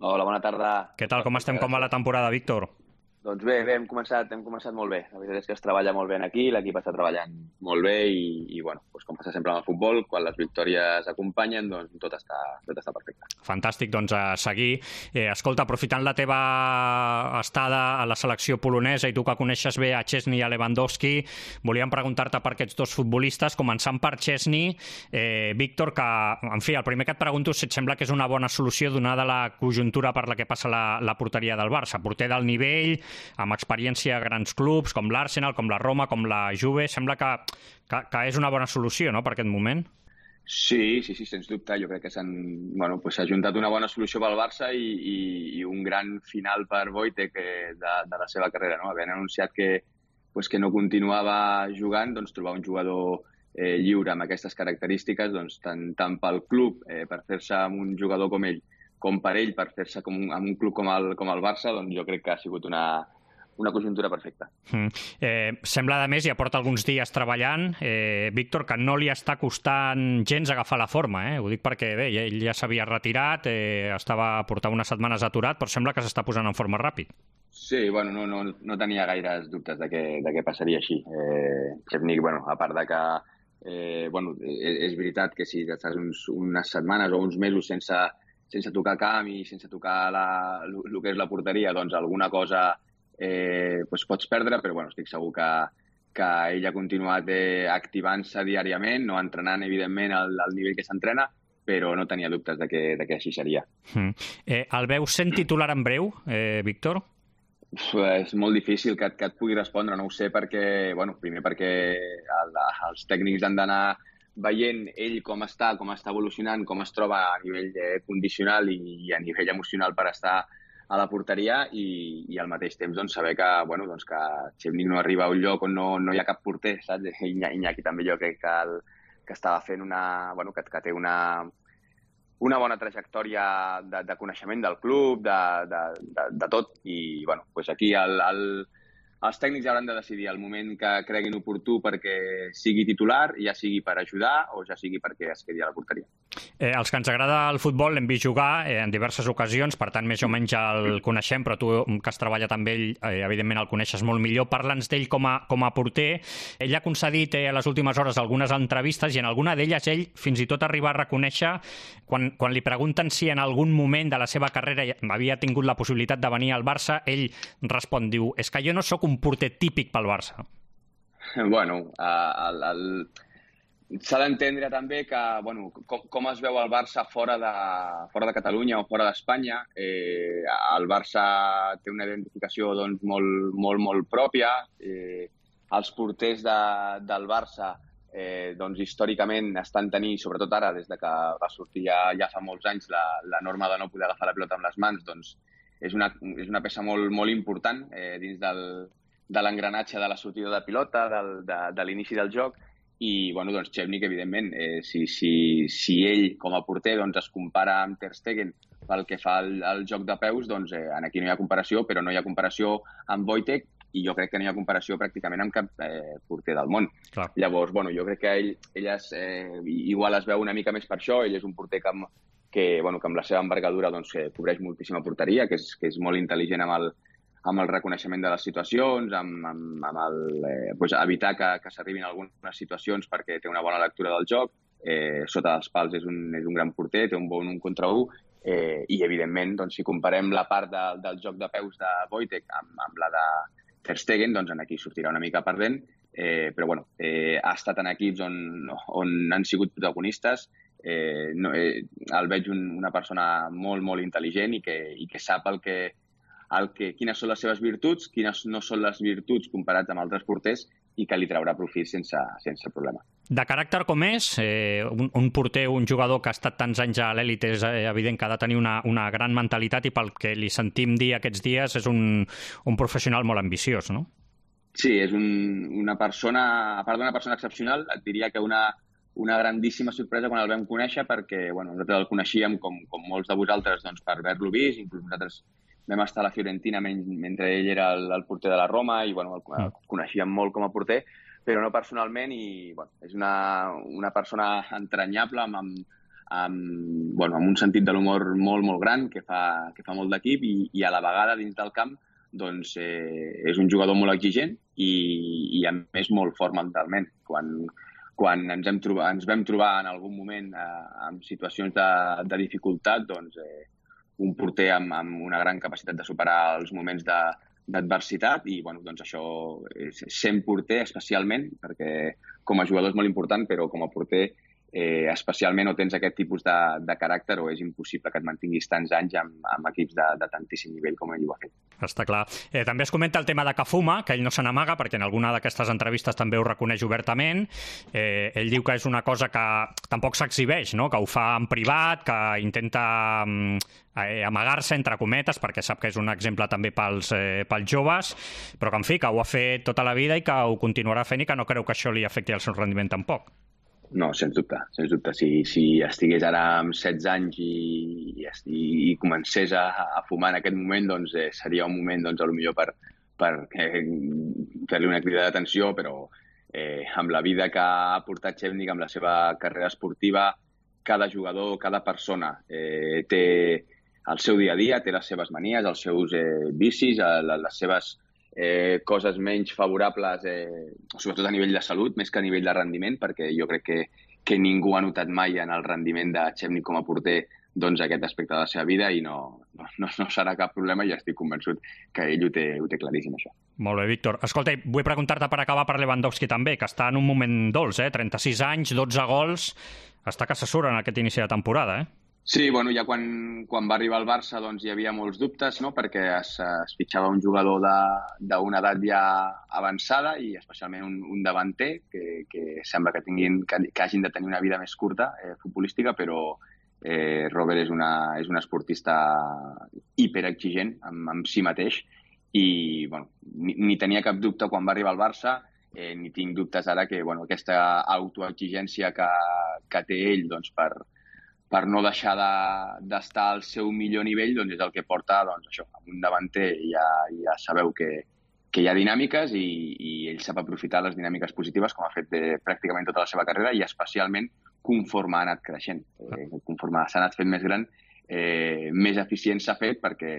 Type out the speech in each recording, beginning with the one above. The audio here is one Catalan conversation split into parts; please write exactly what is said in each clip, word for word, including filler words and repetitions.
Hola, bona tarda. Què tal, com estem? Com va la temporada, Víctor? Doncs bé, bé, hem començat, hem començat molt bé. La veritat és que es treballa molt bé aquí, l'equip està treballant molt bé i, i bueno, doncs com passa sempre amb el futbol, quan les victòries acompanyen, doncs tot està, tot està perfecte. Fantàstic, doncs a seguir. Eh, escolta, aprofitant la teva estada a la selecció polonesa i tu que coneixes bé a Szczesny i a Lewandowski, volíem preguntar-te per aquests dos futbolistes, començant per Szczesny. Eh, Víctor, que, en fi, el primer que et pregunto si et sembla que és una bona solució donada la conjuntura per la que passa la, la porteria del Barça. Porter del nivell, amb experiència a grans clubs com l'Arsenal, com la Roma, com la Juve, sembla que, que, que és una bona solució, no?, per aquest moment. Sí, sí, sí, sens dubte. Jo crec que s'han bueno, pues s'ha juntat una bona solució pel Barça i, i, i un gran final per Wojtek de, de la seva carrera, no? Havent anunciat que, pues, que no continuava jugant, doncs trobar un jugador eh, lliure amb aquestes característiques, doncs, tant, tant pel club eh, per fer-se amb un jugador com ell, com per ell per fer-se com un, amb un club com el, com el Barça, doncs jo crec que ha sigut una, una conjuntura perfecta. Mm. Eh, sembla, a més, ja porta alguns dies treballant, eh, Víctor, que no li està costant gens agafar la forma, eh? Ho dic perquè, bé, ell ja s'havia retirat, eh, estava a portar unes setmanes aturat, però sembla que s'està posant en forma ràpid. Sí, bueno, no, no, no tenia gaires dubtes de què, de què passaria així. Eh, Szczesny, bueno, a part de que eh, bueno, és, és veritat que si estàs uns, unes setmanes o uns mesos sense sense tocar camp i sense tocar el que és la porteria, doncs alguna cosa eh, doncs pots perdre, però bueno, estic segur que, que ell ha continuat eh, activant-se diàriament, no entrenant, evidentment, al, al nivell que s'entrena, però no tenia dubtes de que, de que així seria. Mm. Eh, el veus sent titular en breu, eh, Víctor? Uf, és molt difícil que, que et pugui respondre, no ho sé, perquè, bueno, primer perquè el, els tècnics han d'anar veient ell com està, com està evolucionant, com es troba a nivell eh, condicional i, i a nivell emocional per estar a la porteria i, i al mateix temps doncs, saber que, bueno, doncs, que Szczesny no arriba a un lloc on no, no hi ha cap porter, saps? Iñaki també jo crec que, el, que estava fent una... Bueno, que, que té una, una bona trajectòria de, de coneixement del club, de, de, de, de tot, i bueno, doncs aquí el, el, els tècnics hauran de decidir el moment que creguin oportú perquè sigui titular, ja sigui per ajudar o ja sigui perquè es quedi a la porteria. Eh, els que ens agrada el futbol l'hem vist jugar eh, en diverses ocasions, per tant, més o menys el coneixem, però tu, que has treballat amb ell, eh, evidentment el coneixes molt millor. Parla'ns d'ell com a, com a porter. Ell ha concedit eh, a les últimes hores algunes entrevistes i en alguna d'elles ell fins i tot arriba a reconèixer, quan, quan li pregunten si en algun moment de la seva carrera havia tingut la possibilitat de venir al Barça, ell respon, diu, és que jo no sóc un porter típic pel Barça. Bueno, el... el... s'ha d'entendre també que, bueno, com, com es veu el Barça fora de, fora de Catalunya o fora d'Espanya. Eh, el Barça té una identificació doncs, molt, molt, molt pròpia. Eh, els porters de, del Barça eh, doncs, històricament estan tenint, sobretot ara, des de que va sortir ja, ja fa molts anys la, la norma de no poder agafar la pilota amb les mans, doncs és una, és una peça molt, molt important eh, dins del, de l'engranatge de la sortida de pilota, del, de, de l'inici del joc. I, bueno, doncs, Szczesny, evidentment, eh, si, si, si ell, com a porter, doncs, es compara amb Ter Stegen pel que fa al, al joc de peus, doncs, eh, aquí no hi ha comparació, però no hi ha comparació amb Wojtek i jo crec que no hi ha comparació pràcticament amb cap eh, porter del món. Clar. Llavors, bueno, jo crec que ell, ell es, eh, igual es veu una mica més per això, ell és un porter que amb, que, bueno, que amb la seva envergadura doncs, eh, cobreix moltíssima porteria, que és, que és molt intel·ligent amb el, amb el reconeixement de les situacions, amb, amb, amb el, eh, doncs evitar que, que s'arribin algunes situacions perquè té una bona lectura del joc, eh, sota dels pals és un, és un gran porter, té un bon un contra un, eh, i evidentment, doncs, si comparem la part de, del joc de peus de Wojtek amb, amb la de Ter Stegen, doncs en aquí sortirà una mica perdent, eh, però bueno, eh, ha estat en equips on, on han sigut protagonistes. Eh, no, eh, el veig un, una persona molt, molt intel·ligent i que, i que sap el que el que, quines són les seves virtuts, quines no són les virtuts comparats amb altres porters i que li traurà profit sense, sense problema. De caràcter com és, eh, un, un porter, un jugador que ha estat tants anys a l'èlit, és evident que ha de tenir una, una gran mentalitat i pel que li sentim dir aquests dies és un, un professional molt ambiciós, no? Sí, és un, una persona, a part d'una persona excepcional, et diria que una, una grandíssima sorpresa quan el vam conèixer perquè bueno, nosaltres el coneixíem com, com molts de vosaltres doncs, per haver-lo vist, inclús nosaltres vam estar a la Fiorentina mentre ell era el, el porter de la Roma i bueno, el, el coneixíem molt com a porter, però no personalment i bueno, és una, una persona entranyable amb, amb, amb, bueno, amb un sentit de l'humor molt, molt gran, que fa, que fa molt d'equip, i, i a la vegada dins del camp doncs, eh, és un jugador molt exigent i, i a més molt fort mentalment. Quan, quan ens, hem trobat, ens vam trobar en algun moment eh, en situacions de, de dificultat, doncs eh, un porter amb, amb una gran capacitat de superar els moments de, d'adversitat i bueno, doncs això, sent porter especialment, perquè com a jugador és molt important, però com a porter eh, especialment o tens aquest tipus de, de caràcter o és impossible que et mantinguis tants anys amb, amb equips de, de tantíssim nivell com ell ho ha fet. Està clar. Eh, també es comenta el tema de que fuma, que ell no se n'amaga, perquè en alguna d'aquestes entrevistes també ho reconeix obertament. Eh, ell diu que és una cosa que tampoc s'exhibeix, no? Que ho fa en privat, que intenta eh, amagar-se, entre cometes, perquè sap que és un exemple també pels, eh, pels joves, però que, en fi, que ho ha fet tota la vida i que ho continuarà fent i que no creu que això li afecti el seu rendiment tampoc. No, sens dubte, sens dubte. Si, si estigués ara amb setze anys i, i, i comencés a, a fumar en aquest moment, doncs eh, seria un moment, doncs, potser per, per eh, fer-li una crida d'atenció, però eh, amb la vida que ha portat Chevnik, amb la seva carrera esportiva, cada jugador, cada persona eh, té el seu dia a dia, té les seves manies, els seus eh, vicis, eh, les seves Eh, coses menys favorables, eh, sobretot a nivell de salut, més que a nivell de rendiment, perquè jo crec que, que ningú ha notat mai en el rendiment de Chevnik com a porter doncs, aquest aspecte de la seva vida i no, no, no serà cap problema i estic convençut que ell ho té, ho té claríssim, això. Molt bé, Víctor. Escolta, vull preguntar-te per acabar per Lewandowski també, que està en un moment dolç, eh? trenta-sis anys, dotze gols, està que se surt en aquest inici de temporada, eh? Sí, bueno, ja quan, quan va arribar al Barça doncs, hi havia molts dubtes, no? Perquè es, es fitxava un jugador d'una edat ja avançada i especialment un, un davanter que, que sembla que, tinguin, que, que hagin de tenir una vida més curta eh, futbolística, però eh, Robert és, una, és un esportista hiperexigent amb, amb si mateix i bueno, ni, ni tenia cap dubte quan va arribar al Barça, eh, ni tinc dubtes ara que bueno, aquesta autoexigència que, que té ell doncs, per per no deixar d'estar de, al seu millor nivell, doncs és el que porta doncs, això, amb un davanter ja, ja sabeu que, que hi ha dinàmiques i, i ell sap aprofitar les dinàmiques positives com ha fet de, pràcticament tota la seva carrera i especialment conforme ha anat creixent. Eh, conforme s'ha anat fent més gran, eh, més eficient s'ha fet perquè,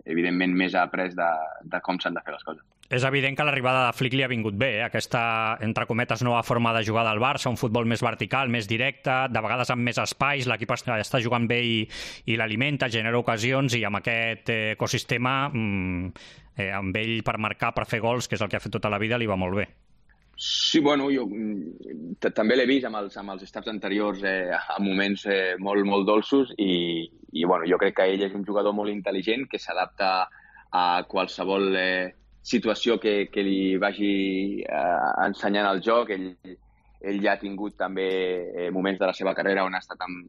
evidentment, més ha après de, de com s'han de fer les coses. És evident que l'arribada de Flick li ha vingut bé, eh? Aquesta, entre cometes, nova forma de jugar del Barça, un futbol més vertical, més directe, de vegades amb més espais, l'equip està jugant bé i, i l'alimenta, genera ocasions, i amb aquest eh, ecosistema, mm, eh, amb ell per marcar, per fer gols, que és el que ha fet tota la vida, li va molt bé. Sí, bueno, jo també l'he vist amb els, amb els staffs anteriors eh, a moments eh, molt, molt dolços i, i bueno, jo crec que ell és un jugador molt intel·ligent que s'adapta a qualsevol eh, situació que, que li vagi eh, ensenyant el joc. Ell, ell ja ha tingut també eh, moments de la seva carrera on ha estat amb,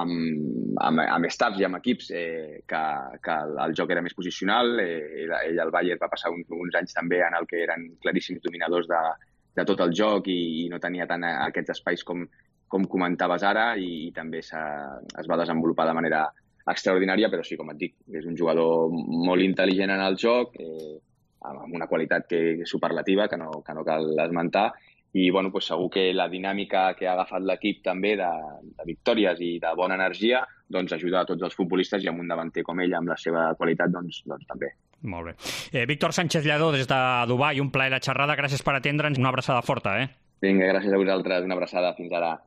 amb, amb, amb staffs i amb equips eh, que, que el joc era més posicional. Eh, ell, ell al Bayern va passar un, uns anys també en el que eren claríssims dominadors de, de tot el joc i, i no tenia tant aquests espais com, com comentaves ara i, i també es va desenvolupar de manera extraordinària, però sí, com et dic, és un jugador molt intel·ligent en el joc, eh, amb una qualitat que és superlativa, que no, que no cal esmentar, i bueno, pues segur que la dinàmica que ha agafat l'equip també de, de victòries i de bona energia doncs ajuda a tots els futbolistes i amb un davanter com ell, amb la seva qualitat, doncs, doncs també. Molt bé. Eh, Víctor Sánchez Lladó, des de Dubai, un plaer la xerrada, gràcies per atendre'ns, una abraçada forta, eh? Vinga, gràcies a vosaltres, una abraçada, fins ara.